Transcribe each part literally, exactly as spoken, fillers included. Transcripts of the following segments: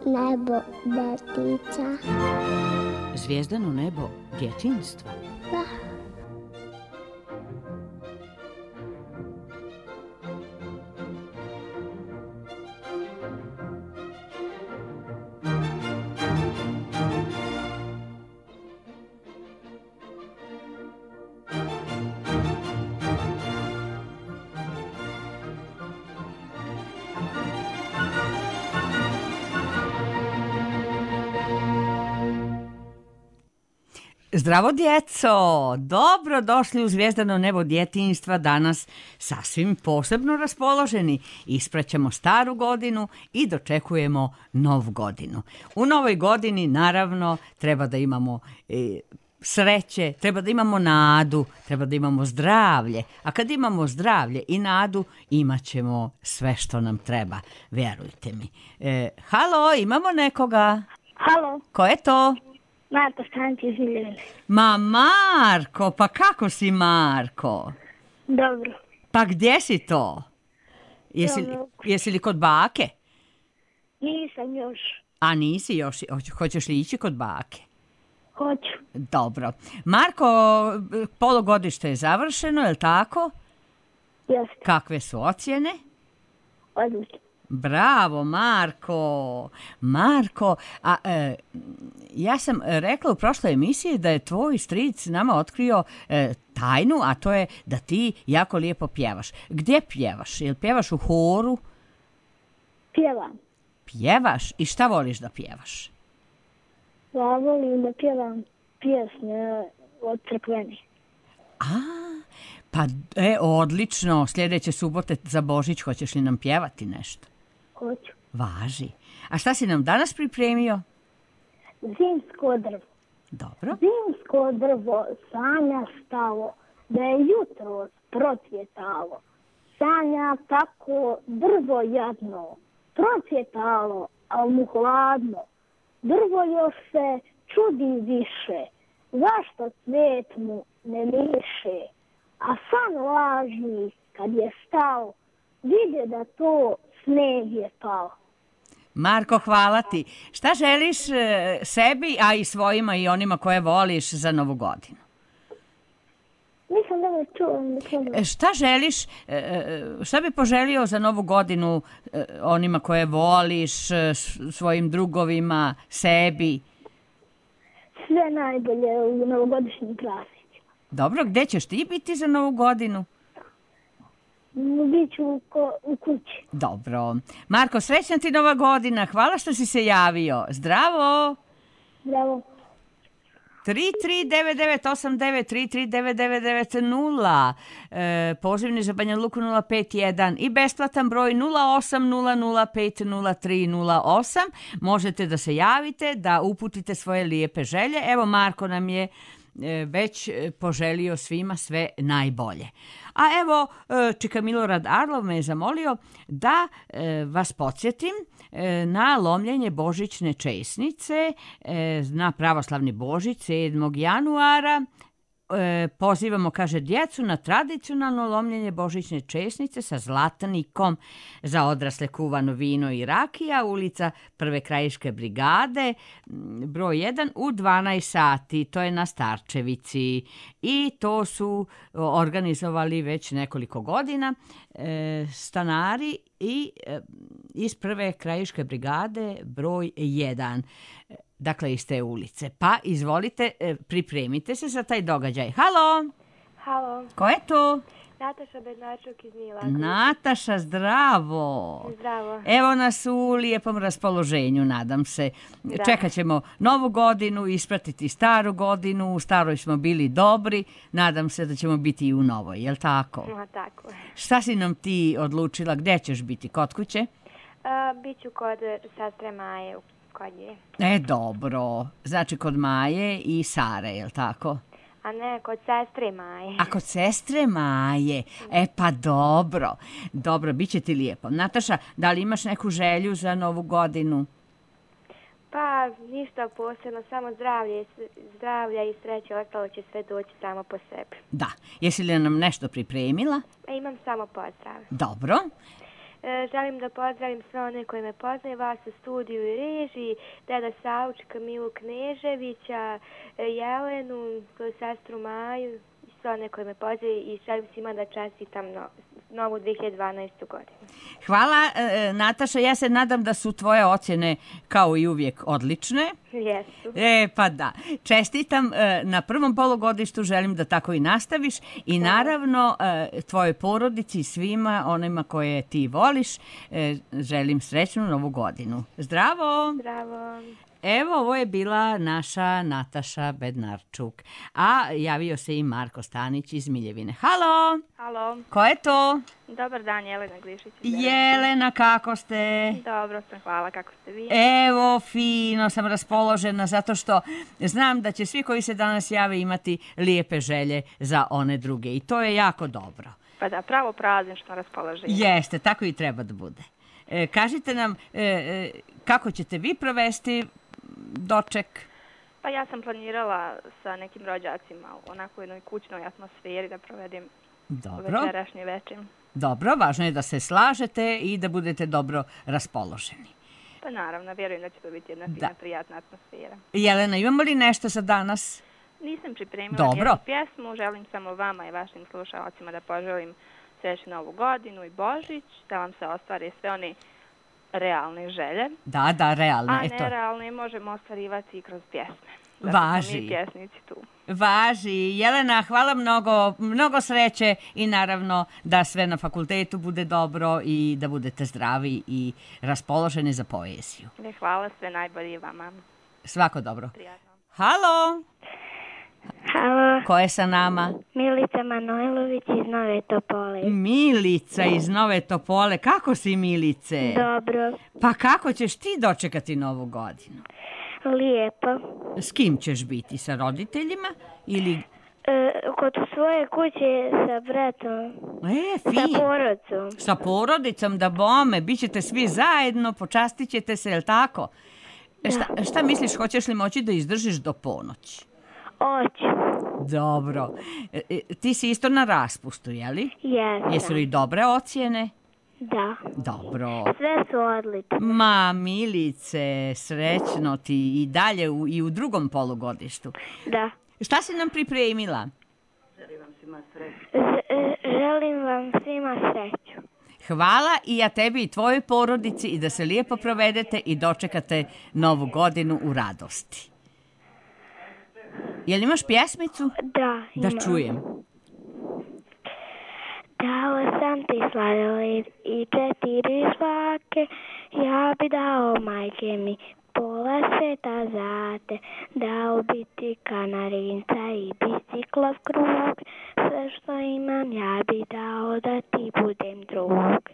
nebo detica. Zvijezdano nebo djetinjstva? Da. Zdravo djeco, dobro došli u Zvijezdano nebo djetinjstva, danas sasvim posebno raspoloženi. Ispraćamo staru godinu i dočekujemo novu godinu. U novoj godini naravno treba da imamo e, sreće, treba da imamo nadu, treba da imamo zdravlje, a kad imamo zdravlje i nadu imat ćemo sve što nam treba, vjerujte mi. E, halo, imamo nekoga? Halo, Ko je to? Marko Stančić iz Miljene. Ma Marko, pa kako si Marko? Dobro. Pa gdje si to? Jesi, Dobro. jesi li kod bake? Nisam još. A nisi još, hoć- hoćeš li ići kod bake? Hoću. Dobro. Marko, polugodište je završeno, je li tako? Jeste. Kakve su ocjene? Odlično. Bravo, Marko. Marko, a e, ja sam rekla u prošloj emisiji da je tvoj stric nama otkrio e, tajnu, a to je da ti jako lijepo pjevaš. Gdje pjevaš? Jel pjevaš u horu? Pjevam. Pjevaš? I šta voliš da pjevaš? Ja volim da pjevam pjesme od crkveni. A, pa e, odlično. Sljedeće subote za Božić hoćeš li nam pjevati nešto? Hoću. Važi. A šta si nam danas pripremio? Zimsko drvo. Dobro. Zimsko drvo sanja stalo, da je jutro procvjetalo. Sanja tako drvo jadno, procvjetalo, al mu hladno. Drvo još se čudi više, zašto cvijet mu ne miše. A san lažni kad je stao, vide da to sneg je pao. Marko, hvala ti. Šta želiš e, sebi, a i svojima i onima koje voliš za Novu godinu? Nisam dobro čuo. Nisam... E, šta želiš, e, e, šta bi poželio za Novu godinu e, onima koje voliš, e, s- svojim drugovima, sebi? Sve najbolje u novogodišnjim praznicima. Dobro, gdje ćeš ti biti za Novu godinu? Biću u, ko, u kući. Dobro. Marko, srećna ti Nova godina. Hvala što si se javio. Zdravo! Bravo. tri tri devet devet osam devet tri tri devet devet devet nula, e, pozivni za Banja Luku nula pet jedan i besplatan broj nula osam nula nula pet nula tri nula osam. Možete da se javite, da uputite svoje lijepe želje. Evo, Marko nam je e, već e, poželio svima sve najbolje. A evo, e, Čika Milorad Arlov me je zamolio da e, vas podsjetim e, na lomljenje božićne česnice e, na pravoslavni Božić sedmog januara. E, pozivamo, kaže, djecu na tradicionalno lomljenje božićne česnice sa zlatnikom za odrasle kuvano vino i rakija, ulica Prve krajiške brigade, m, broj jedan u dvanaest sati, to je na Starčevici. I to su organizovali već nekoliko godina e, stanari i e, iz Prve krajiške brigade broj jedan. Dakle, iz te ulice. Pa, izvolite, e, pripremite se za taj događaj. Halo, Halo, ko je tu? Nataša Bednačuk iz Milakovića. Nataša, zdravo. Zdravo. Evo nas u lijepom raspoloženju, nadam se. Da. Čekat ćemo novu godinu, ispratiti staru godinu. U staroj smo bili dobri, nadam se da ćemo biti i u novoj, jel tako? Ma, tako je. Šta si nam ti odlučila, gdje ćeš biti, kod kuće? A, Biću kod sestre Maje, kod nje. E, dobro, znači kod Maje i Sare, jel tako? A ne, kod sestre Maje. A kod sestre Maje, e pa dobro, dobro, bit će ti lijepo. Nataša, da li imaš neku želju za Novu godinu? Pa, ništa posebno, samo zdravlje, i s- zdravlja i sreće, ostalo će sve doći samo po sebi. Da, jesi li nam nešto pripremila? A imam samo pozdrav. Dobro, E, želim da pozdravim sve one koji me poznaju, vas u studiju i režiji, deda Saučka, Milu Kneževića, e, Jelenu, svoju sestru Maju, i sve one koji me poznaju i želim svima da čestitam no, novu dve hiljade dvanaestu godinu. Hvala, e, Nataša. Ja se nadam da su tvoje ocjene kao i uvijek odlične. Jesu. E, pa da. Čestitam e, na prvom polugodištu, želim da tako i nastaviš i naravno e, tvojoj porodici i svima onima koje ti voliš e, želim srećnu novu godinu. Zdravo! Zdravo! Evo, ovo je bila naša Nataša Bednarčuk, a javio se i Marko Stanić iz Miljevine. Halo! Halo. Ko je to? Dobar dan, Jelena Glišić. Jelena, kako ste? Dobro sam, hvala, kako ste vi? Evo, fino sam raspoložena zato što znam da će svi koji se danas jave imati lijepe želje za one druge i to je jako dobro. Pa da, pravo praznično raspoloženje. Jeste, tako i treba da bude. E, kažite nam e, e, kako ćete vi provesti doček? Pa ja sam planirala sa nekim rođacima u onako jednoj kućnoj atmosferi da provedem Dobro. večerašnji večer. Dobro, važno je da se slažete i da budete dobro raspoloženi. Pa naravno, vjerujem da će to biti jedna fina, Da. prijatna atmosfera. Jelena, imamo li nešto za danas? Nisam pripremila Dobro. nijednu pjesmu, želim samo vama i vašim slušalcima da poželim srećnu novu godinu i Božić, da vam se ostvare sve one realne želje, Da, da, realno. a Eto, nerealne možemo ostvarivati i kroz pjesme. Zato Važi. smo mi pjesnici tu. važi. Jelena, hvala mnogo, mnogo sreće i naravno da sve na fakultetu bude dobro i da budete zdravi i raspoloženi za poeziju. Ne, hvala, sve najbolje i vama. Svako dobro. Prijatno. Halo, Halo, ko je sa nama? Milica Manojlović iz Nove Topole. Milica iz Nove Topole. Kako si, Milice? Dobro, Pa kako ćeš ti dočekati novu godinu? lijepo. S kim ćeš biti? Sa roditeljima ili... E, kod svoje kuće sa bratom, E, sa fin. porodcom. Sa porodicom da bome, bit ćete svi zajedno, počastit ćete se, jel tako? E, Šta, šta misliš, hoćeš li moći da izdržiš do ponoći? Oću, Dobro. E, e, ti si isto na raspustu, jeli? jesam. Jesu li dobre ocjene? Da, Dobro. sve su odlične. Ma, Milice, srećno ti i dalje u, i u drugom polugodištu. Da. Šta si nam pripremila? Z- e, želim vam svima sreću. Hvala i ja tebi i tvojoj porodici i da se lijepo provedete i dočekate novu godinu u radosti. Jel imaš pjesmicu? Da, Da imam. čujem. Dao sam ti sladoled i četiri žvake, ja bi dao majke mi pola sveta za te, dao bi ti kanarinca i biciklov krug, sve što imam ja bi dao da ti budem drug.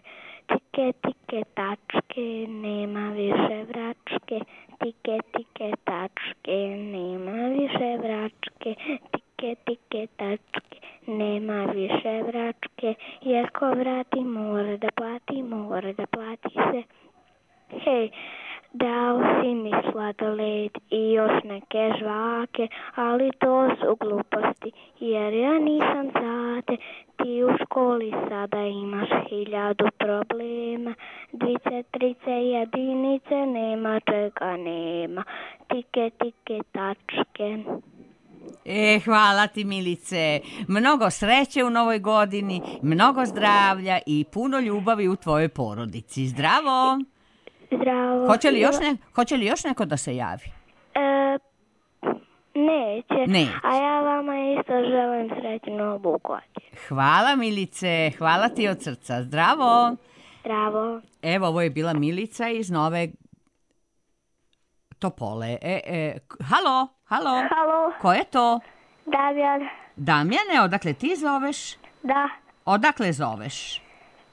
Tike, tike, tačke, nema više vračke, tike, tike, tačke, nema više vračke, tike, tike, tačke, nema više vračke, jer ko vrati mora da plati, mora da plati se. Hej, dao si mi sladoled i još neke žvake, ali to su gluposti, jer ja nisam za te. Ti u školi sada imaš hiljadu problema, dvice, trice, jedinice, nema čega nema, tike, tike, tačke. E, hvala ti, Milice. Mnogo sreće u novoj godini, mnogo zdravlja i puno ljubavi u tvojoj porodici. Zdravo! Zdravo. Hoće li još, ne, hoće li još neko da se javi? E, neće. Neće. A ja vama isto želim srećnu novu godinu. Hvala, Milice. Hvala ti od srca. Zdravo! Zdravo. Evo, ovo je bila Milica iz Nove Topole. E, e, k- halo, halo. Halo, Ko je to? Damjan. Damjane, odakle ti zoveš? Da, Odakle zoveš?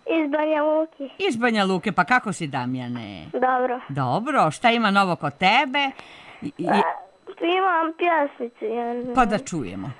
iz Banja Luki. Iz Banja Luke, pa kako si, Damjane? Dobro. Dobro, šta ima novo kod tebe? I- i- Imam pjesmicu. jednu. pa da čujemo.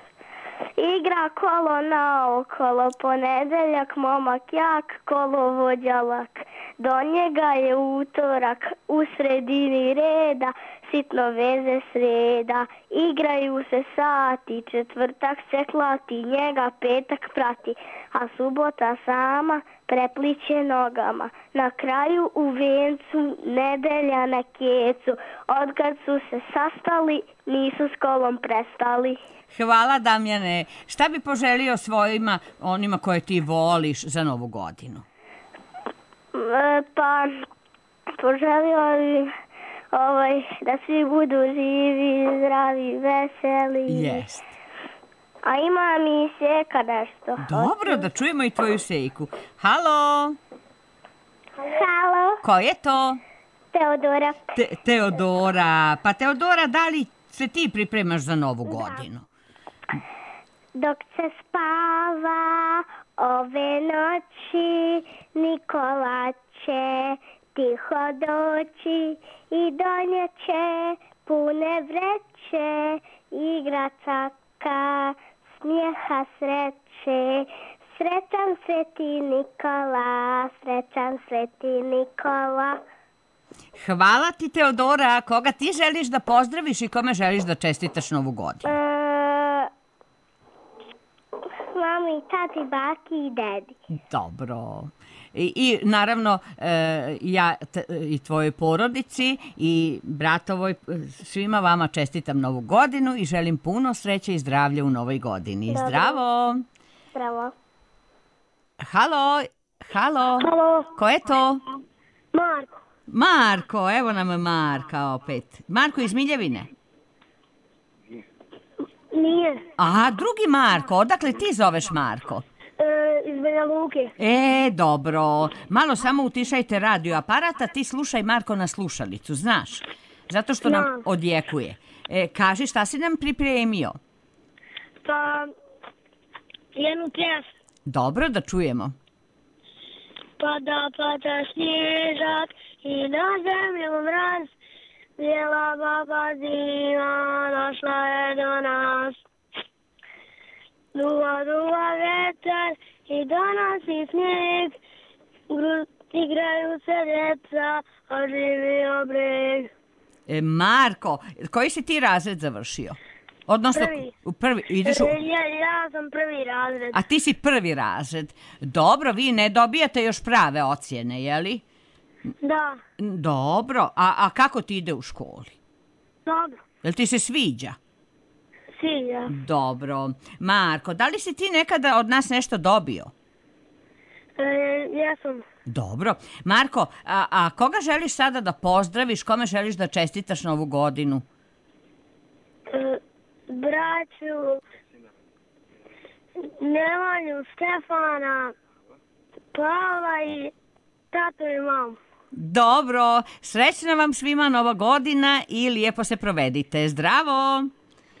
Igra kolo naokolo, ponedeljak, momak jak, kolovođa lak. Do njega je utorak, u sredini reda, sitno veze sreda, igraju se sati, četvrtak se klati, njega petak prati, a subota sama prepliće nogama. Na kraju u vencu nedelja na kecu, odkad su se sastali, nisu s kolom prestali. Hvala, Damjane. Šta bi poželio svojima, onima koje ti voliš za Novu godinu? E, pa, poželio bi ovaj, da svi budu živi, zdravi, veseli. Jest. A ima mi Seka nešto. Dobro, da čujemo i tvoju Sejku. Halo? Halo, Ko je to? Teodora. Te, Teodora. Pa Teodora, da li se ti pripremaš za Novu godinu? Dok se spava ove noći, Nikola će tiho doći i donjeće pune vreće, igračaka, smijeha, sreće. Srećan Sveti Nikola, srećan Sveti Nikola. Hvala ti, Teodora. Koga ti želiš da pozdraviš i kome želiš da čestitaš Novu godinu? E, mami, tati, baki i dedi. Dobro. I, i naravno e, ja t, i tvojoj porodici i bratovoj, svima vama čestitam Novu godinu i želim puno sreće i zdravlja u novoj godini. Dobro. Zdravo! Zdravo. Halo, halo. Halo. Ko je to? Marko. Marko, evo nam Marka opet. Marko iz Miljevine. Nije. A, drugi Marko, odakle ti zoveš Marko? E, iz Banja Luke. E, dobro. Malo samo utišajte radio aparata, ti slušaj Marko na slušalicu, znaš? Zato što nam Znam. odjekuje. E, kaži šta si nam pripremio? Pa, jednu pjesmu. Dobro, da čujemo. Pada, pada snježak i na zemlju mraz, bijela baba zima došla je do nas. Duva, duva vetar i donosi snijeg, Gru, igraju se djeca, oživio breg. E, Marko, koji si ti razred završio? Odnosno, Prvi. u prvi ideš u... Ja, ja sam prvi razred. A ti si prvi razred. Dobro, vi ne dobijate još prave ocjene, jeli? Da, Dobro, a, a kako ti ide u školi? dobro. Jel ti se sviđa? Sviđa. Dobro. Marko, da li si ti nekada od nas nešto dobio? E, ja sam Dobro. Marko, a, a koga želiš sada da pozdraviš? Kome želiš da čestitaš Novu godinu? e, braću, Nemanju, Stefana, Pavla i tatu i mamu. Dobro. Srećna vam svima Nova godina i lijepo se provedite. Zdravo!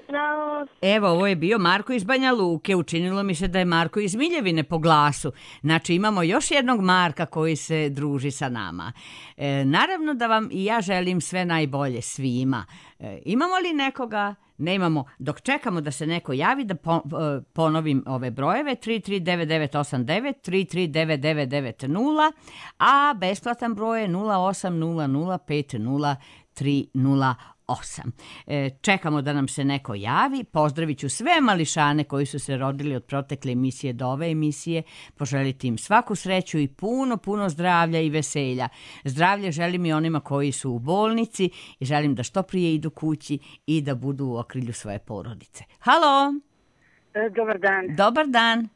Bravo. Evo, ovo je bio Marko iz Banja Luke. Učinilo mi se da je Marko iz Miljevine po glasu. Znači, imamo još jednog Marka koji se druži sa nama. E, naravno da vam i ja želim sve najbolje svima. E, imamo li nekoga? Nemamo. Dok čekamo da se neko javi, da po, ponovim ove brojeve, tri tri devet devet osam devet, tri tri devet devet devet nula, a besplatan broj je nula osam nula nula pet nula tri nula osam. E, čekamo da nam se neko javi. Pozdravit ću sve mališane koji su se rodili od protekle emisije do ove emisije. Poželiti im svaku sreću i puno, puno zdravlja i veselja. Zdravlje želim i onima koji su u bolnici i želim da što prije idu kući i da budu u okrilju svoje porodice. Halo! E, Dobar dan, Dobar dan!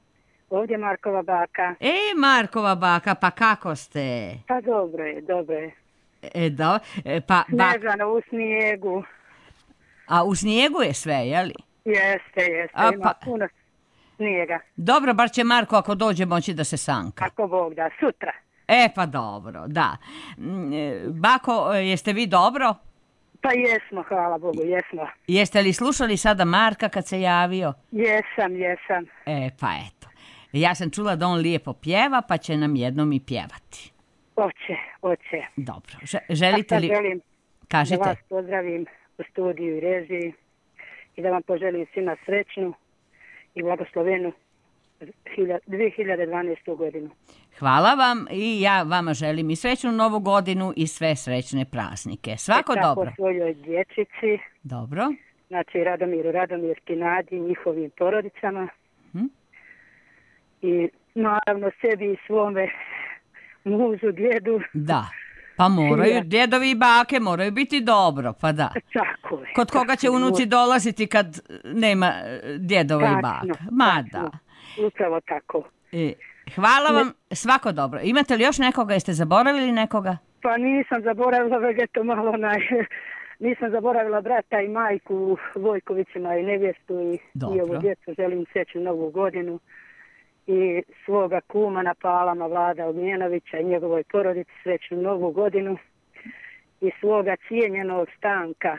ovdje je Markova baka. E, Markova baka, pa kako ste? Pa dobro je, dobro je. E, do, e, pa, bak, Snežano u snijegu. a u snijegu je sve, jeli? Jeste, jeste, A, ima pa- puno snijega. Dobro, bar će Marko ako dođe moći da se sanka. Kako Bog da, sutra. E, pa dobro, da. Mm, e, Bako, e, jeste vi dobro? Pa jesmo, hvala Bogu, jesmo. Jeste li slušali sada Marka kad se javio? Jesam, jesam. E, pa eto. Ja sam čula da on lijepo pjeva, pa će nam jednom i pjevati. Oće, oće. Dobro. Že- želite A li... sad želim da Kažite. vas pozdravim u studiju i režiji i da vam poželim svima srećnu i blagoslovenu dve hiljade dvanaestu godinu. Hvala vam i ja vama želim i srećnu novu godinu i sve srećne praznike. Svako E, tako dobro. svojoj dječici, Dobro. znači Radomiru, Radomirki, Nadi, njihovim porodicama. Hm? I naravno sebi i svome mužu, djedu. Da. Pa moraju, Ja. djedovi i bake moraju biti dobro, pa da. Tako je. Kod koga će tako je. unuci dolaziti kad nema e, djedova i Tačno, baka? Ma tačno. da. Upravo tako. E, hvala vam, svako dobro. Imate li još nekoga, jeste zaboravili nekoga? Pa nisam zaboravila, već eto malo onaj, nisam zaboravila brata i majku Vojkovićima i nevjestu i Dobro. i ovu djecu, želim srećnu novu godinu i svoga kuma na Palama Vlada Ognjenovića i njegovoj porodici srećnu novu godinu i svoga cijenjenog Stanka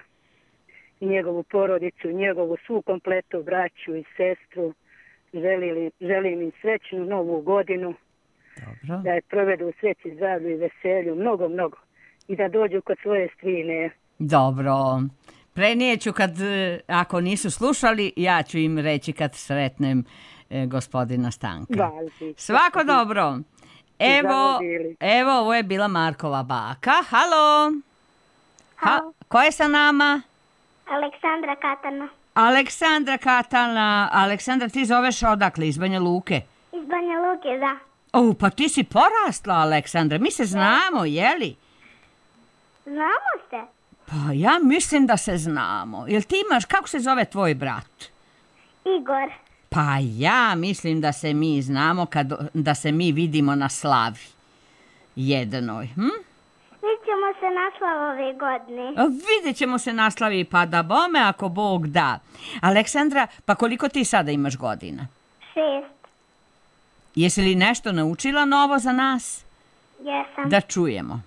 i njegovu porodicu, njegovu svu kompletu braću i sestru. Želim, želim im srećnu novu godinu, Dobro. da je provedu u sreći, zdravlju i veselju, mnogo, mnogo. I da dođu kod svoje strine. Dobro. Prenijeću kad, e, ako nisu slušali, ja ću im reći kad sretnem e, gospodina Stanka. Važi. Svako dobro. Evo, Zavodili. evo, ovo je bila Markova baka. Halo. Ha, Halo. ko je sa nama? Aleksandra Katana Aleksandra Katana. Aleksandra, ti zoveš odakle? Iz Banja Luke? iz Banja Luke, da. O, pa ti si porasla, Aleksandra. Mi se znamo, jeli? Znamo se? Pa ja mislim da se znamo. Jel ti imaš, kako se zove tvoj brat? Igor. Pa ja mislim da se mi znamo, kad, da se mi vidimo na slavi jednoj. Hm? Vidjet ćemo se naslov ove godine. A vidjet ćemo se na slavi, pa da bome ako Bog da. Aleksandra, pa koliko ti sada imaš godina? Šest. Jesi li nešto naučila novo za nas? Jesam. Da čujemo.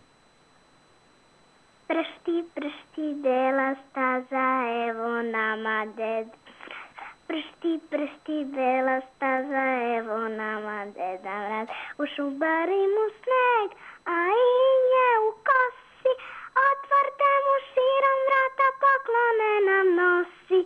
Pršti, pršti, bela staza, evo nama ded. Pršti, pršti, bela staza, evo nama deda mraz. U šubari mu sneg, a i nje u kosi. Otvrte mu širom vrata, poklone nam nosi.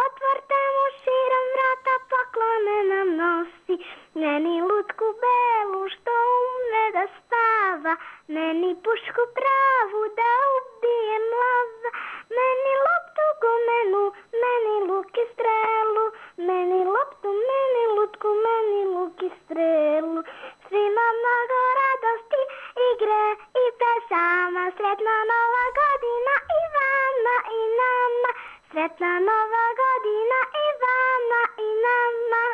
Otvrte mu širom vrata, poklone nam nosi. Meni lutku belu što umne da spava, meni pušku pravu da ubijem lava. Meni loptu gumenu, meni luk i strelu, meni loptu, meni lutku, meni luk i strelu. Svima mnogo radosti, igre i pesama, sretna nova godina i vama i nama. Sretna nova godina i vama i nama.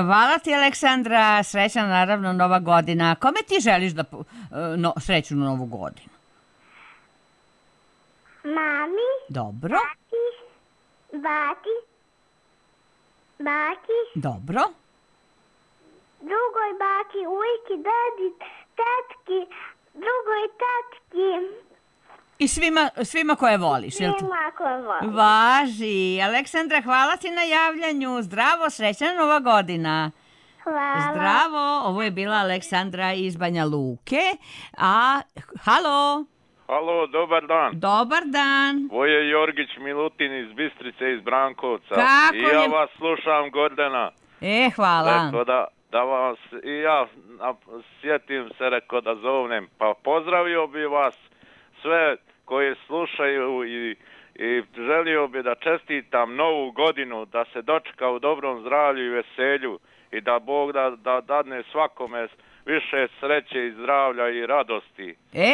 Hvala ti, Aleksandra. Srećna, naravno, nova godina. Kome ti želiš da po- no, srećnu novu godinu? Mami, Dobro, tati, bati, baki, dobro. drugoj baki, ujki, dedi, tetki, drugoj tetki, I svima, svima koje voliš, jel te? svima koje volim. Važi. Aleksandra, hvala ti na javljanju. Zdravo, srećna nova godina. Hvala. Zdravo, ovo je bila Aleksandra iz Banja Luke. A, halo, Halo, dobar dan. dobar dan. Ovo je Jorgić Milutin iz Bistrice, iz Brankovca. Kako I ja je- vas slušam, Gordana. E, hvala. Rekao da, da vas i ja a, sjetim se, rekao da zovnem. Pa pozdravio bi vas sve koji slušaju i, i želio bi da čestitam novu godinu, da se dočeka u dobrom zdravlju i veselju i da Bog da, da dadne svakome više sreće i zdravlja i radosti. E,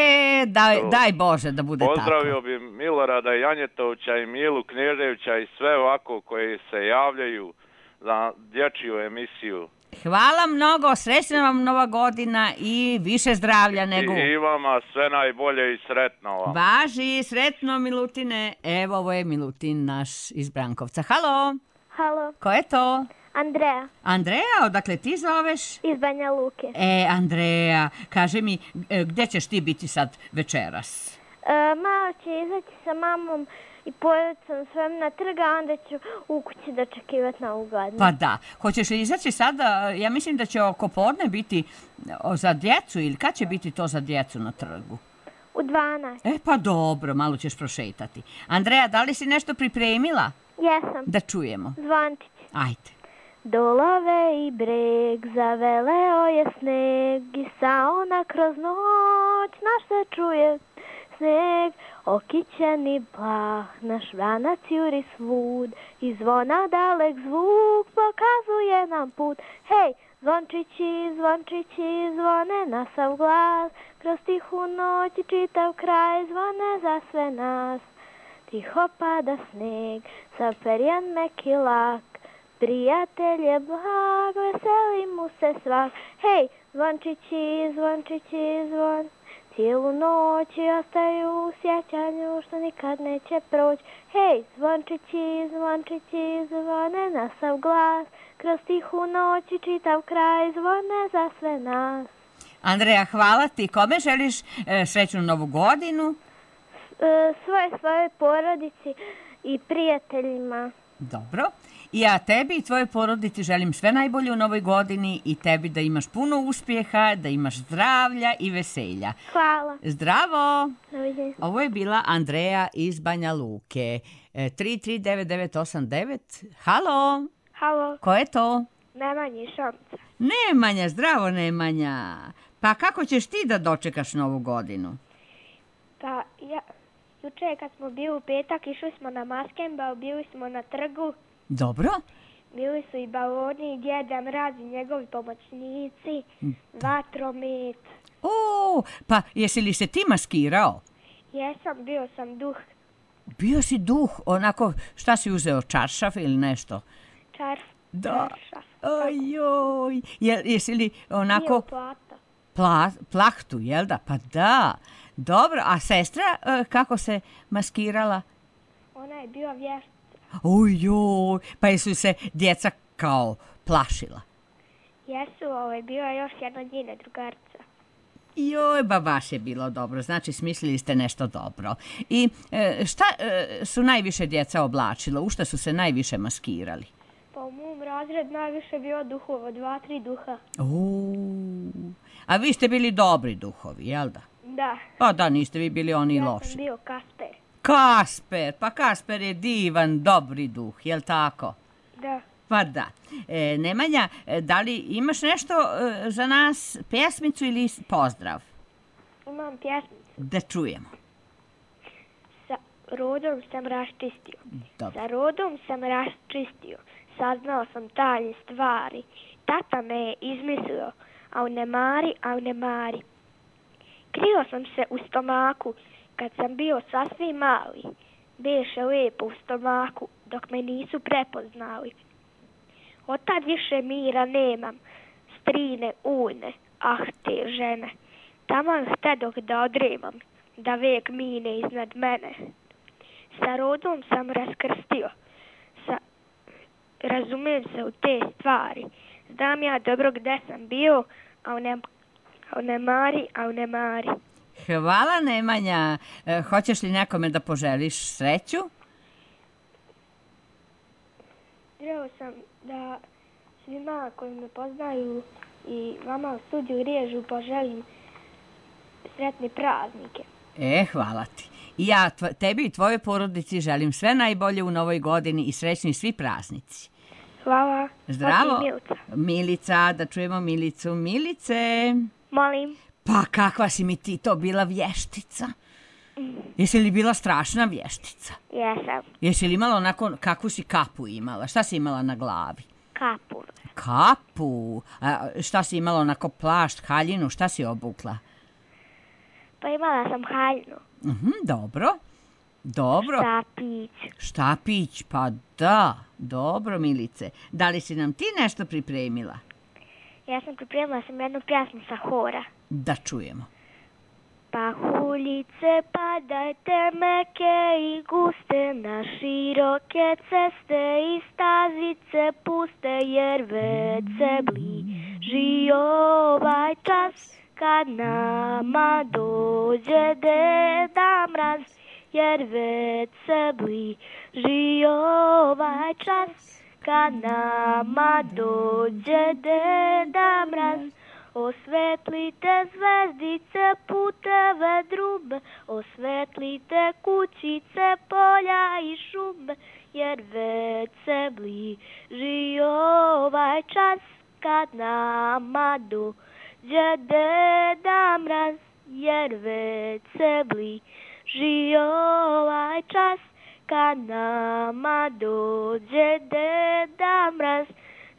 daj, daj Bože da bude Pozdravio tako. bi Milorada Janjetovića i Milu Kneževića i sve ovako koji se javljaju za dječju emisiju. Hvala mnogo, srećna vam nova godina i više zdravlja nego... I, I vama sve najbolje i sretno vam. Važi, sretno Milutine. Evo, ovo je Milutin naš iz Brankovca. Halo, Halo, ko je to? Andreja Andreja, odakle ti zoveš? iz Banja Luke. E, Andreja, kaži mi, e, gdje ćeš ti biti sad večeras? E, malo će izaći sa mamom i porodicom svojom na trga, a onda ću u kući dočekivati novu godinu. Pa da, hoćeš li izaći sada? Ja mislim da će oko podne biti o, za djecu ili kad će biti to za djecu na trgu? U dvanaest. E, pa dobro, malo ćeš prošetati. Andreja, da li si nešto pripremila? Jesam. Da čujemo. Zvončić. Ajde. dolove i breg, zaveleo je sneg i sauna kroz noć, naš se čuje sneg, okićeni plah, naš vranac juri svud, i zvona dalek zvuk pokazuje nam put. Hej, zvončići, zvončići, zvone na sav glas, kroz tihu noć i čitav kraj zvone za sve nas. Tiho pada sneg, sav perjan meki lak, prijatelj je blag, veseli mu se svak. Hej, zvončići, zvončići, zvon, cijelu noć ostaju u sjećanju što nikad neće proći. Hej, zvončići, zvončići, zvone na sav glas, kroz tihu noć i čitav kraj zvone za sve nas. Andreja, hvala ti. Kome želiš e, srećnu novu godinu? E, svoje, svoje porodici i prijateljima. Dobro. I ja tebi i tvojoj porodici želim sve najbolje u novoj godini i tebi da imaš puno uspjeha, da imaš zdravlja i veselja. Hvala. Zdravo! Doviđenja. Ovo je bila Andreja iz Banja Luke. E, tri tri devet devet osam devet. Halo! Halo, Ko je to? Nemanja iz Šamca. Nemanja, zdravo Nemanja. Pa kako ćeš ti da dočekaš novu godinu? Pa ja, juče kad smo bili u petak, išli smo na Maskembal, bili smo na trgu, Dobro. bili su i baloni, i Djeda Mraz i njegovi pomoćnici, vatromet. O, pa jesi li se ti maskirao? Jesam, bio sam duh, Bio si duh, onako, šta si uzeo, čaršaf ili nešto? čarf, Da. čaršaf. Ojoj, je, jesi li onako Bio plata. pla, plahtu, jel da? Pa da. Dobro, a sestra e, kako se maskirala? Ona je bio vještica. Ojoj, pa jesu se djeca kao plašila? Jesu, ovaj, bio je još jedna njene drugarca. Joj, ba baš je bilo dobro, znači smislili ste nešto dobro. I e, šta e, su najviše djeca oblačila, u šta su se najviše maskirali? Pa u mom razred najviše bio duhova, dva, tri duha. O, a vi ste bili dobri duhovi, jel da? Da, Pa da, niste vi bili oni ja loši. sam bio Kasper. Kasper, pa Kasper je divan, dobri duh, jel tako? Da, Pa da. E, Nemanja, e, da li imaš nešto e, za nas, pjesmicu ili pozdrav? imam pjesmicu. Da čujemo. Sa rodom sam raščistio. Dobro. Sa rodom sam raščistio. Saznao sam tajne stvari. Tata me je izmislio. A ne mari, a ne mari. Krio sam se u stomaku kad sam bio sasvim mali. Beše lijepo u stomaku dok me nisu prepoznali. Od tad više mira nemam. Strine ujne, ah te žene. Taman htedok da odremam, da vek mine iznad mene. Sa rodom sam raskrstio. Sa... Razumem se u te stvari. Znam ja dobro gde sam bio, a ne, a ne mari, a ne mari. Hvala Nemanja. E, hoćeš li nekome da poželiš sreću? Želeo sam da svima koji me poznaju i vama u studiju Riježu poželim sretne praznike. E, hvala ti. I ja tv- tebi i tvojoj porodici želim sve najbolje u novoj godini i srećni svi praznici. Hvala. Zdravo. Hoću i Milica. Milica, da čujemo Milicu. Milice. Molim. Pa kakva si mi ti to bila vještica? Jesi li bila strašna vještica? Jesam. Jesi li imala onako, kakvu si kapu imala? Šta si imala na glavi? Kapu. Kapu? A šta si imala onako plašt, haljinu? Šta si obukla? Pa imala sam haljnu. Mhm, dobro. Dobro. Štapić. Štapić, pa da. Dobro, Milice. Da li si nam ti nešto pripremila? Ja sam pripremila sam jednu pjesmu sa hora. Da čujemo. Pahuljice padajte meke i guste na široke ceste i stazice puste jer već se bliži ovaj čas kad nama dođe Deda Mraz jer već se bliži ovaj čas kad nama dođe Deda Mraz. Osvetlite zvezdice, puteve drube, osvetlite kućice, polja i šume, jer već se bliži ovaj čas kad nama dođe Deda Mraz, jer već se bliži ovaj čas kad nama dođe Deda Mraz.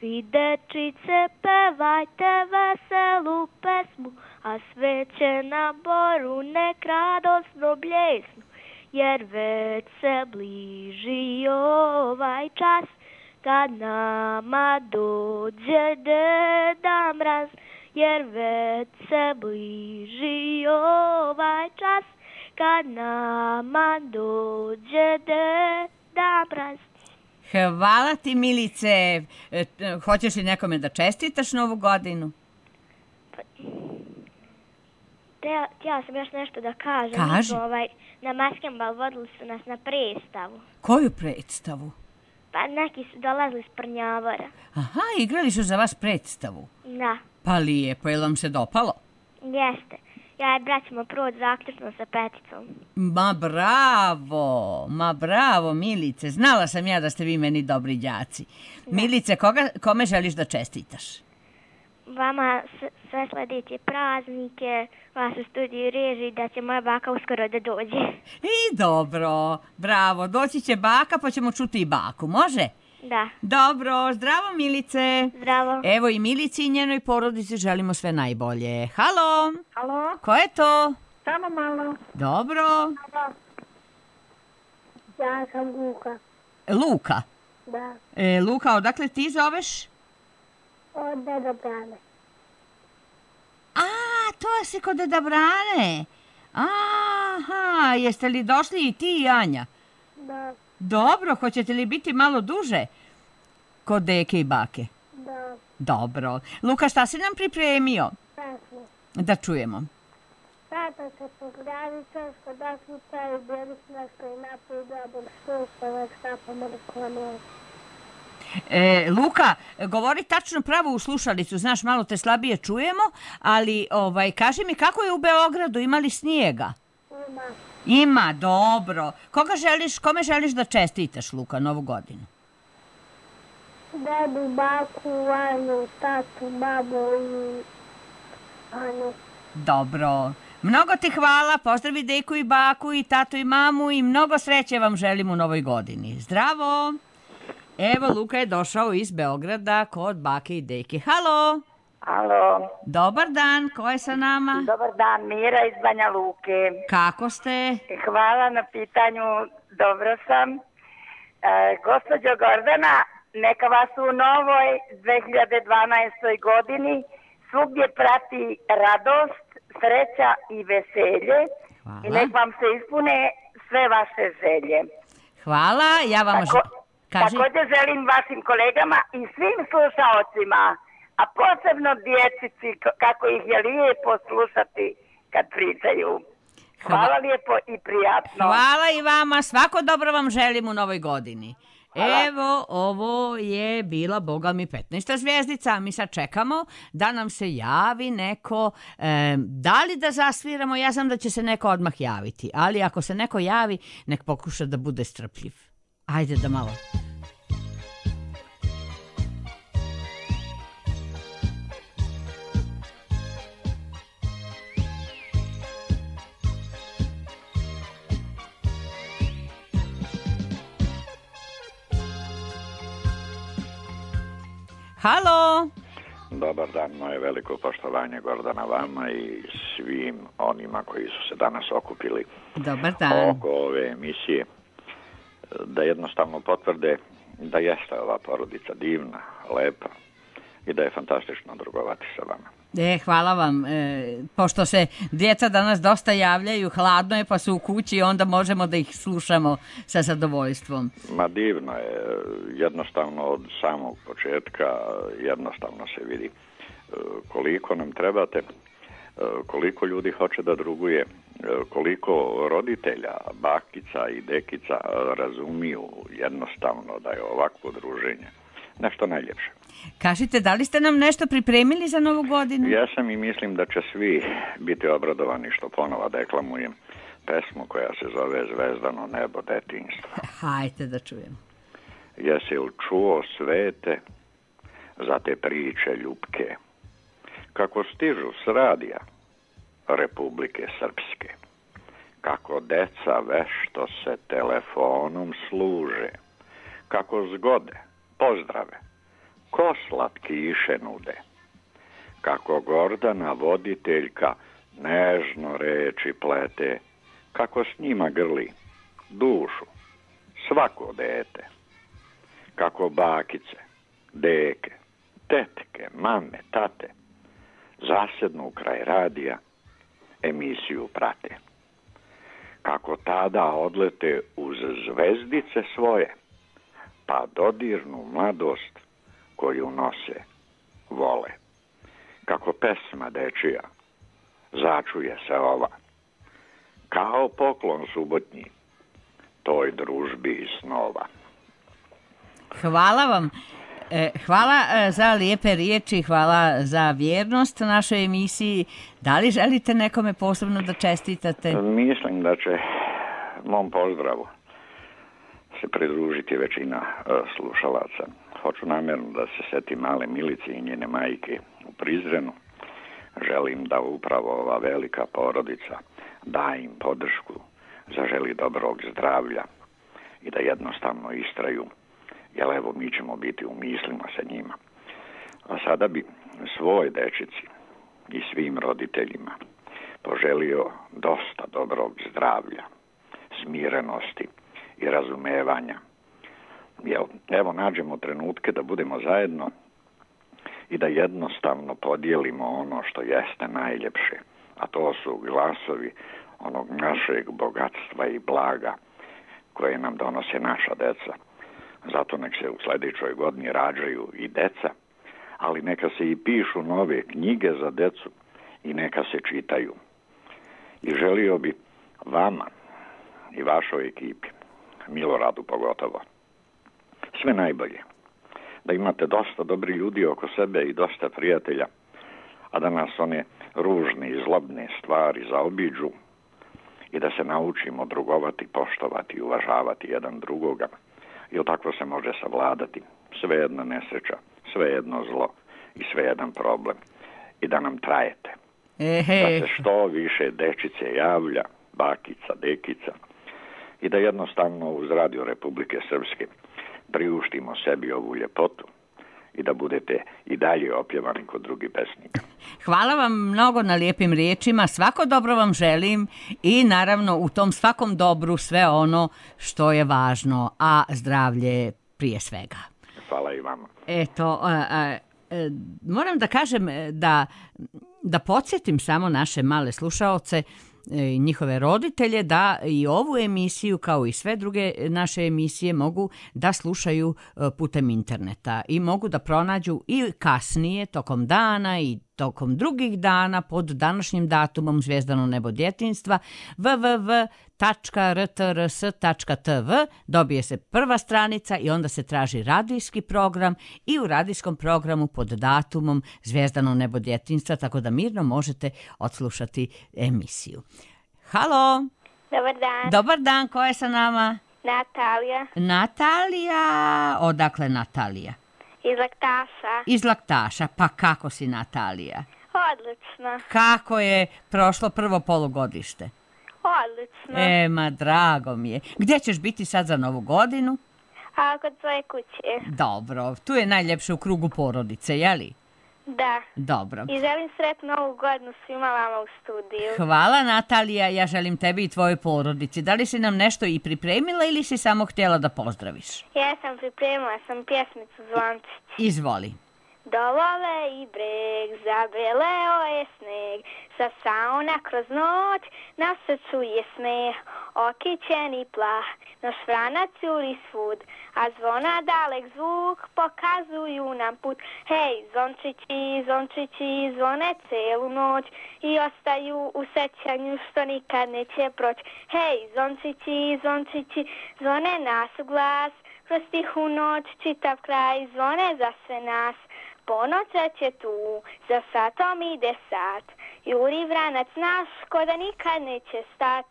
Vi dečice pevajte veselu pesmu, a sveće na boru nek radosno bljesnu, jer već se bliži ovaj čas kad nama dođe Deda Mraz, jer već se bliži ovaj čas kad nama dođe Deda Mraz. Hvala ti, Milice. E, hoćeš li nekome da čestitaš Novu godinu? Te, htjela sam još nešto da kažem. Kaži. Ovaj, na Maskembal vodili su nas na predstavu. Koju predstavu? Pa neki su dolazili s Prnjavora. Aha, igrali su za vas predstavu. Da. Pa lijepo, je li vam se dopalo? Jeste. Ja i brat ćemo proći zaključno sa peticom. Ma bravo, ma bravo, Milice. Znala sam ja da ste vi meni dobri đaci. Da. Milice, koga, kome želiš da čestitaš? Vama sve sledeće praznike, vas u studiju reži, da će moja baka uskoro da dođe. I dobro, bravo, doći će baka pa ćemo čuti i baku, može? Da. Dobro, zdravo Milice. Zdravo. Evo i Milici i njenoj porodici želimo sve najbolje. Halo? Halo? Ko je to? Samo malo. Dobro. Ja sam Luka. Luka? Da. E, Luka, odakle ti zoveš? Od Deda Brane. A, to si kod Deda Brane. Aha, jeste li došli i ti i Anja? Da. Dobro, hoćete li biti malo duže kod deke i bake? Da. Dobro. Luka, šta si nam pripremio? Pesmu. Da čujemo. Tata se poglavi češko da su taj bili nešto i napoj dobom sustavak štapom reklamu. E, Luka, govori tačno pravo u slušalicu, znaš, malo te slabije čujemo, ali ovaj, kaži mi kako je u Beogradu, ima li snijega? Ima. Ima, dobro. Koga želiš, kome želiš da čestitaš, Luka, Novu godinu? Dedu, baku, Anju, tatu, babu i Anju. Dobro. Mnogo ti hvala, pozdravi deku i baku i tatu i mamu i mnogo sreće vam želim u Novoj godini. Zdravo! Evo, Luka je došao iz Beograda kod bake i deke. Halo! Halo. Dobar dan, ko je sa nama? Dobar dan, Mira iz Banja Luke. Kako ste? Hvala na pitanju, dobro sam. E, gospođo Gordana, neka vas u novoj dve hiljade dvanaestoj godini svugdje prati radost, sreća i veselje. Hvala. I nek vam se ispune sve vaše želje. Hvala, ja vam... Tako, također želim vašim kolegama i svim slušaocima, a posebno djecici, kako ih je lijepo slušati kad pričaju. Hvala lijepo i prijatno. Hvala i vama, svako dobro vam želim u Novoj godini. Hvala. Evo, ovo je bila, boga mi, petnaesta zvijezdica. Mi sad čekamo da nam se javi neko. E, da li da zasviramo? Ja znam da će se neko odmah javiti. Ali ako se neko javi, nek pokuša da bude strpljiv. Ajde da malo... Halo! Dobar dan, moje veliko poštovanje Gordana vama i svim onima koji su se danas okupili Dobar dan. oko ove emisije, da jednostavno potvrde da jeste ova porodica divna, lepa i da je fantastično drugovati sa vama. E, hvala vam. E, pošto se djeca danas dosta javljaju, hladno je pa su u kući i onda možemo da ih slušamo sa zadovoljstvom. Ma divno je, jednostavno od samog početka jednostavno se vidi koliko nam trebate, koliko ljudi hoće da druguje, koliko roditelja, bakica i dekica razumiju jednostavno da je ovakvo druženje nešto najljepše. Kažite, da li ste nam nešto pripremili za Novu godinu? Ja sam i mislim da će svi biti obradovani što ponova deklamujem pesmu koja se zove Zvezdano nebo detinjstva. Hajde da čujem. jesi li čuo svete za te priče ljubke, kako stižu s radija Republike Srpske, kako deca vešto se telefonom služe, kako zgode, pozdrave, ko slatkiše nude, kako Gordana voditeljka nežno reči plete, kako s njima grli dušu svako dete, kako bakice, deke, tetke, mame, tate zasednu kraj radija, emisiju prate, kako tada odlete uz zvezdice svoje, pa dodirnu mladost koju nose, vole, kako pesma dečija začuje se ova, kao poklon subotnji toj družbi i snova. Hvala vam. Hvala za lijepe riječi, hvala za vjernost našoj emisiji. Da li želite nekome posebno da čestitate? Mislim da će mom pozdravu se pridružiti većina slušalaca. Hoću namjerno da se seti male Milice i njene majke u Prizrenu. Želim da upravo ova velika porodica da im podršku, zaželi dobrog zdravlja i da jednostavno istraju, jer evo mi ćemo biti u mislima sa njima. A sada bi svoj dečici i svim roditeljima poželio dosta dobrog zdravlja, smirenosti i razumevanja. Jel, evo nađemo trenutke da budemo zajedno i da jednostavno podijelimo ono što jeste najljepše, a to su glasovi onog našeg bogatstva i blaga koje nam donose naša deca. Zato nek se u sljedećoj godini rađaju i deca, ali neka se i pišu nove knjige za decu i neka se čitaju. I želio bi vama i vašoj ekipi, Miloradu pogotovo, sve najbolje. Da imate dosta dobri ljudi oko sebe i dosta prijatelja, a da nas one ružne i zlobne stvari zaobiđu i da se naučimo drugovati, poštovati i uvažavati jedan drugoga. Jer tako se može savladati sve jedna nesreća, sve jedno zlo i sve jedan problem. I da nam trajete. Ehe. Da se što više dečice javlja, bakica, dekica, i da jednostavno uz Radio Republike Srpske priuštimo sebi ovu ljepotu i da budete i dalje opjevani kod drugih pesnika. Hvala vam mnogo na lijepim riječima, svako dobro vam želim i naravno u tom svakom dobru sve ono što je važno, a zdravlje prije svega. Hvala i vama. Eto, a, a, a, moram da kažem da, da podsjetim samo naše male slušaoce i njihove roditelje da i ovu emisiju kao i sve druge naše emisije mogu da slušaju putem interneta i mogu da pronađu i kasnije tokom dana i tokom drugih dana pod današnjim datumom Zvijezdano nebo djetinjstva w w w tačka r t r s tačka t v. Dobije se prva stranica i onda se traži radijski program i u radijskom programu pod datumom Zvijezdano nebo djetinjstva, tako da mirno možete odslušati emisiju. Halo! Dobar dan. Dobar dan, ko je sa nama? Natalija. Natalija, odakle Natalija? Iz Laktaša. Iz Laktaša, pa kako si Natalija? Odlično. Kako je prošlo prvo polugodište? Odlično. E, ma drago mi je. Gdje ćeš biti sad za novu godinu? A kod svoje kuće. Dobro, tu je najljepše u krugu porodice, jeli? Da. Dobro. I želim sretnu novu godinu svima vama u studiju. Hvala Natalija, ja želim tebi i tvojoj porodici. Da li si nam nešto i pripremila ili si samo htjela da pozdraviš? Ja sam pripremila sam pjesmicu Zvončić. Izvoli. Dovole i breg, zabeleo je sneg, sa sauna kroz noć, na srcu je smeh, okićeni plah, naš vranac juri svud, a zvona dalek zvuk pokazuju nam put. Hej, zvončići, zvončići, zvone celu noć i ostaju u sećanju što nikad neće proći. Hej, zvončići, zvončići, zvone nas u glas, kroz tihu noć čitav kraj zvone za sve nas. Ponoć već je tu, za satom ide sat, juri vranac naš ko da nikad neće stat.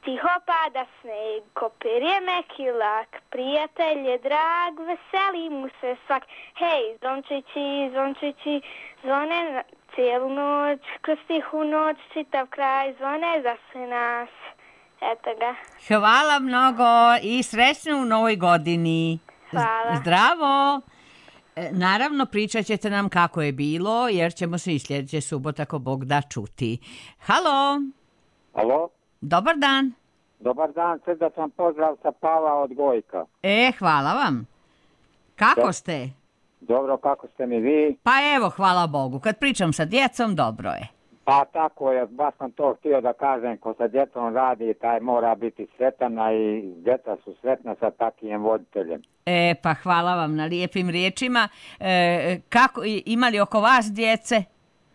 Tiho pada sneg, kopir je meki lak, prijatelj je drag, veseli mu se svak. Hej, zvončići, zvončići, zvone na cijelu noć, kroz tihu noć, čitav kraj zvone za sve nas. Eto ga. Hvala mnogo i srećno u novoj godini. Hvala. Zdravo. E, Naravno, pričat ćete nam kako je bilo, jer ćemo se i sljedeće subota, ako Bog da, čuti. Halo. Alo, Dobar dan. dobar dan, srdačan pozdrav sa Pava od Gojka. E, hvala vam. Kako ste? Dobro, kako ste mi vi? Pa evo, hvala Bogu. Kad pričam sa djecom, dobro je. Pa tako je, baš sam to htio da kažem, ko sa djecom radi, taj mora biti sretan, a i djeca su sretna sa takvim voditeljem. E, pa hvala vam na lijepim riječima. E, kako, i- ima li oko vas djece?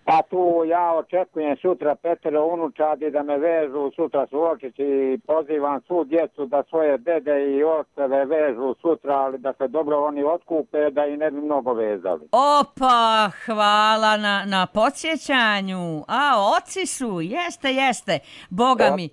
Pa tu ja očekujem sutra petero unučadi da me vežu, sutra su očići i pozivam svu djecu da svoje dede i oceve vežu sutra, ali da se dobro oni otkupe, da i ne bi mnogo vezali. Opa, hvala na, na podsjećanju. A, oci su, jeste, jeste. Boga mi.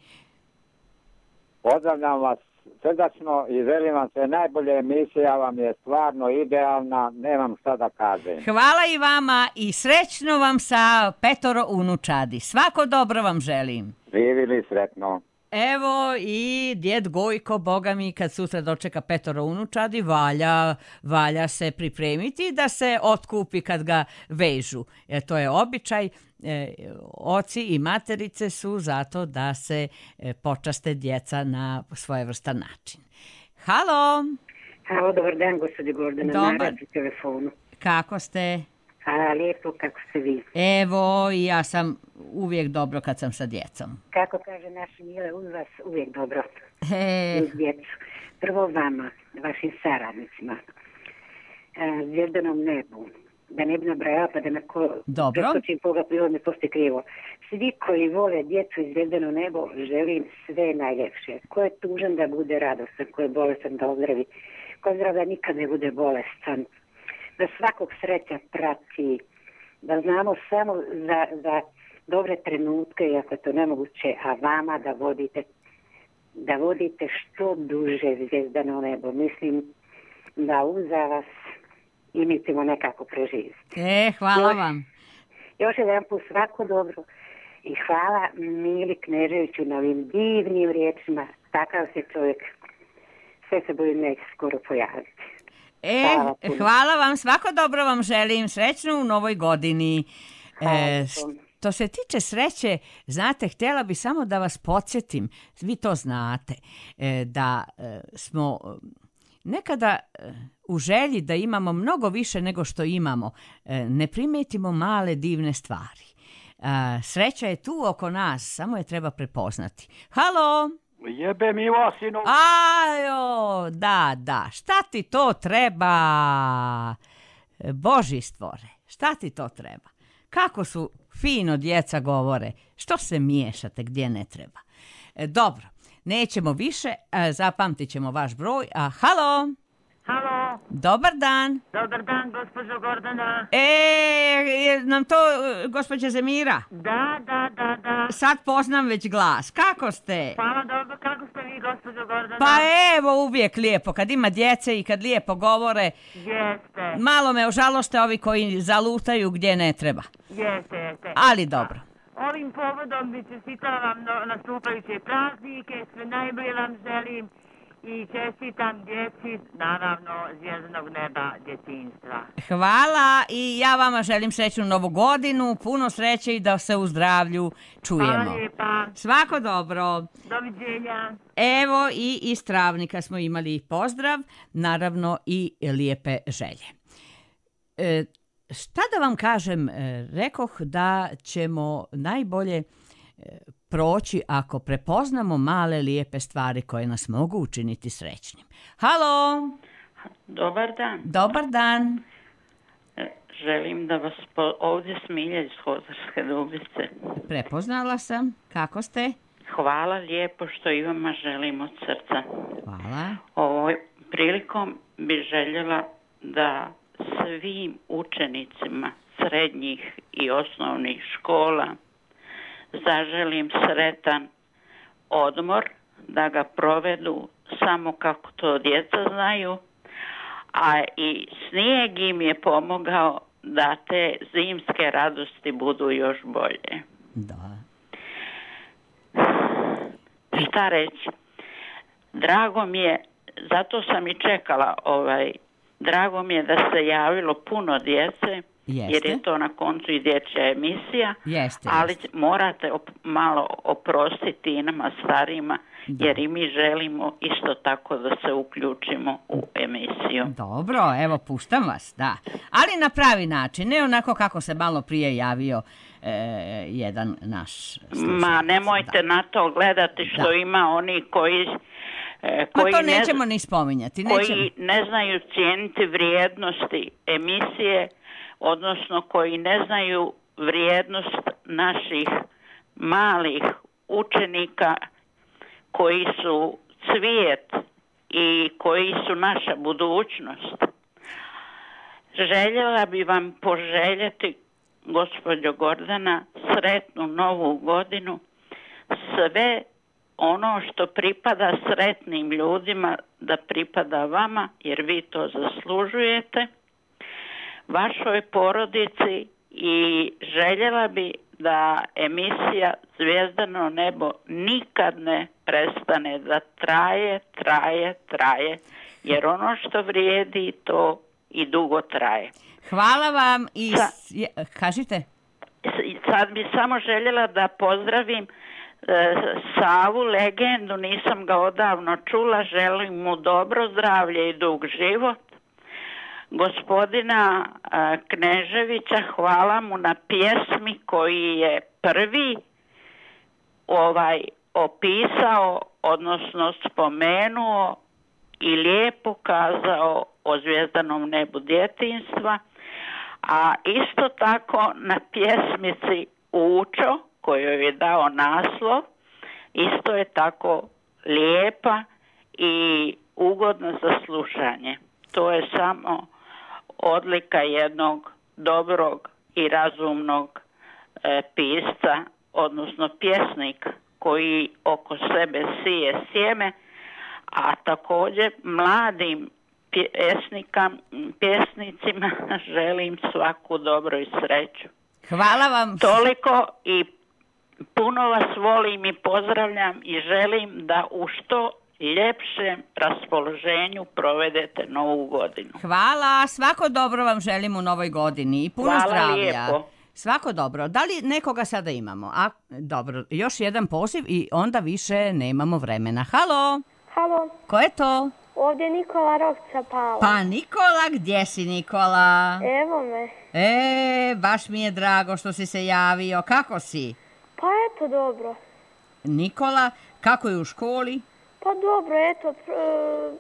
Pozdravljam vas srdačno i želim vam sve najbolje, emisija vam je stvarno idealna, nemam šta da kažem. Hvala i vama i srećno vam sa petoro unučadi. Svako dobro vam želim. Živili sretno. Evo i djed Gojko, Boga mi, kad sutra dočeka petoro unučadi, valja, valja se pripremiti da se otkupi kad ga vežu. E, to je običaj. E, oci i materice su zato da se e, počaste djeca na svojevrstan način. Halo, Halo, dobar dan, gospođo Gordana, Dobar. na radu telefonu. kako ste? A, lijepo, kako ste vi? Evo, i ja sam uvijek dobro kad sam sa djecom. Kako kaže naš Mile, uz vas uvijek dobro. E, Uz djecu. Prvo vama, vašim saradnicima, e, zvijezdanom nebu, da ne bi nabrajala pa da me ko Dobro. preskočim koga prilog ne postoji krivo. Svi koji vole djecu i zvjezdano nebo, želim sve najljepše. Ko je tužan da bude radostan, ko je bolestan da ozdravi, ko je zdrav da nikad ne bude bolestan, da svakog sreća prati, da znamo samo za, za dobre trenutke, iako je to nemoguće, a vama da vodite da vodite što duže zvijezdano nebo. Mislim da uza vas i mi ćemo nekako preživjeti. e, hvala Još- vam. Još jedan put svako dobro i hvala Mili Kneževiću na ovim divnim riječima. Takav se čovjek, sve se boji neće skoro pojaviti. E, Hvala puno. hvala vam, svako dobro vam želim, srećno u novoj godini. E, što se tiče sreće, znate, htjela bi samo da vas podsjetim, vi to znate, e, da e, smo e, nekada e, u želji da imamo mnogo više nego što imamo, e, ne primetimo male divne stvari. E, sreća je tu oko nas, samo je treba prepoznati. Halo? Jebe mi Vasinu. Ajo, da, da, šta ti to treba? Boži stvore, šta ti to treba? Kako su fino djeca govore, što se miješate gdje ne treba? E, dobro, nećemo više, e, zapamtit ćemo vaš broj. A, halo? Halo, Dobar dan. dobar dan, gospođo Gordana. E, je nam to e, gospođa Zemira? Da, da, da, da. Sad poznam već glas. Kako ste? Hvala, dobro, kako ste vi, gospođo Gordana? Pa evo, uvijek lijepo. Kad ima djece i kad lijepo govore, Jeste, malo me ožaloste ovi koji zalutaju gdje ne treba. jeste, jeste. Ali dobro. Ovim povodom bi čestitala vam no- nastupajuće praznike, sve najbolje vam želim i čestitam djeci, naravno, zvjezdanog neba djetinjstva. Hvala i ja vama želim srećnu novu godinu, puno sreće i da se u zdravlju čujemo. Hvala lijepa. Svako dobro. Doviđenja. Evo i iz Travnika smo imali pozdrav, naravno i lijepe želje. E, šta da vam kažem, e, rekoh da ćemo najbolje e, proći ako prepoznamo male lijepe stvari koje nas mogu učiniti srećnim. Halo, Dobar dan. dobar dan. E, Želim da vas po... ovdje Smilja iz Hozarske Dubice. Prepoznala sam. Kako ste? Hvala lijepo što i vama želim od srca. Hvala. Ovoj prilikom bi željela da svim učenicima srednjih i osnovnih škola zaželim sretan odmor, da ga provedu samo kako to djeca znaju, a i snijeg im je pomogao da te zimske radosti budu još bolje. Da. Šta reći? Drago mi je, zato sam i čekala ovaj, drago mi je da se javilo puno djece, Jeste. jer je to na koncu i dječja emisija, Jeste, ali jeste. morate op- malo oprostiti i nama starijima, jer i mi želimo isto tako da se uključimo u emisiju. Dobro, evo puštam vas, da. Ali na pravi način, ne onako kako se malo prije javio e, jedan naš slušalac. Ma nemojte da. na to gledati što Da. ima oni koji... e, Ma koji to ne nećemo zna- ni spominjati. Nećemo. koji ne znaju cijeniti vrijednosti emisije, odnosno koji ne znaju vrijednost naših malih učenika koji su cvijet i koji su naša budućnost. Željela bi vam poželjeti, gospođo Gordana, sretnu novu godinu, sve ono što pripada sretnim ljudima da pripada vama, jer vi to zaslužujete, vašoj porodici, i željela bi da emisija Zvijezdano nebo nikad ne prestane, da traje, traje, traje, jer ono što vrijedi to i dugo traje. Hvala vam i... Sa- s- je- kažite. Sad bi samo željela da pozdravim e, Savu, legendu, nisam ga odavno čula, želim mu dobro zdravlje i dug život. Gospodina e, Kneževića, hvala mu na pjesmi koji je prvi ovaj opisao, odnosno spomenuo i lijepo kazao o zvijezdanom nebu djetinjstva, a isto tako na pjesmici Učo, kojoj je dao naslov, isto je tako lijepa i ugodna za slušanje. To je samo odlika jednog dobrog i razumnog e, pisca, odnosno pjesnika koji oko sebe sije sjeme, a također mladim pjesnika, pjesnicima želim svaku dobro i sreću. Hvala vam. Toliko i puno vas volim i pozdravljam i želim da u što ljepšem raspoloženju provedete novu godinu. Hvala, svako dobro vam želim u novoj godini i puno Hvala zdravlja. lijepo. Svako dobro. Da li nekoga sada imamo? A, dobro, još jedan poziv i onda više nemamo vremena. Halo, Halo, ko je to? ovdje je Nikola Rokca Pala. Pa Nikola, gdje si Nikola? Evo me. E, baš mi je drago što si se javio. Kako si? Pa eto, dobro. Nikola, kako je u školi? Pa dobro, eto, pr-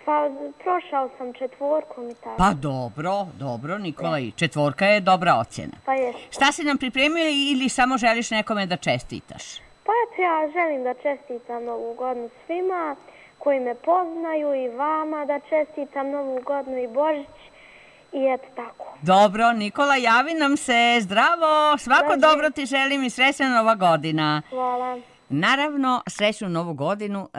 pa prošao sam četvorkom i tako. Pa dobro, dobro Nikola, i četvorka je dobra ocjena. Pa jes. Šta si nam pripremio ili samo želiš nekome da čestitaš? Pa eto, ja želim da čestitam novu godinu svima koji me poznaju i vama da čestitam novu godinu i Božić i eto tako. Dobro, Nikola, javi nam se. Zdravo, svako Dođi. dobro ti želim i srećna nova godina. Hvala. Naravno, srećnu novu godinu e,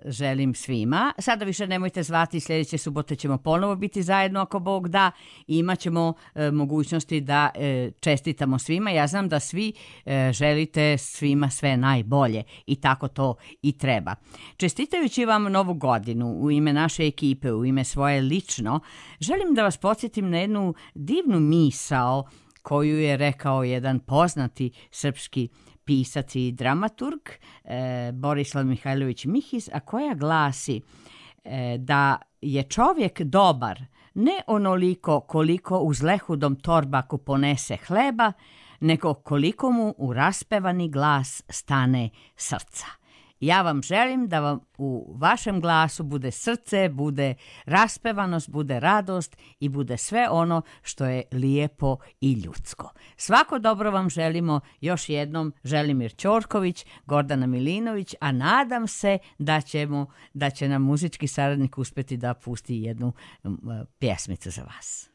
želim svima. Sada više nemojte zvati, sljedeće subote ćemo ponovo biti zajedno ako Bog da. I imat ćemo e, mogućnosti da e, čestitamo svima. Ja znam da svi e, želite svima sve najbolje i tako to i treba. Čestitajući vam novu godinu u ime naše ekipe, u ime svoje lično, želim da vas podsjetim na jednu divnu misao koju je rekao jedan poznati srpski pisac i dramaturg e, Borislav Mihajlović Mihiz, a koja glasi e, da je čovjek dobar ne onoliko koliko uz lehudom torbaku ponese hleba, nego koliko mu u raspevani glas stane srca. Ja vam želim da vam u vašem glasu bude srce, bude raspevanost, bude radost i bude sve ono što je lijepo i ljudsko. Svako dobro vam želimo, još jednom Želimir Ćorković, Gordana Milinović, a nadam se da ćemo, da će nam muzički saradnik uspjeti da pusti jednu um, pjesmicu za vas.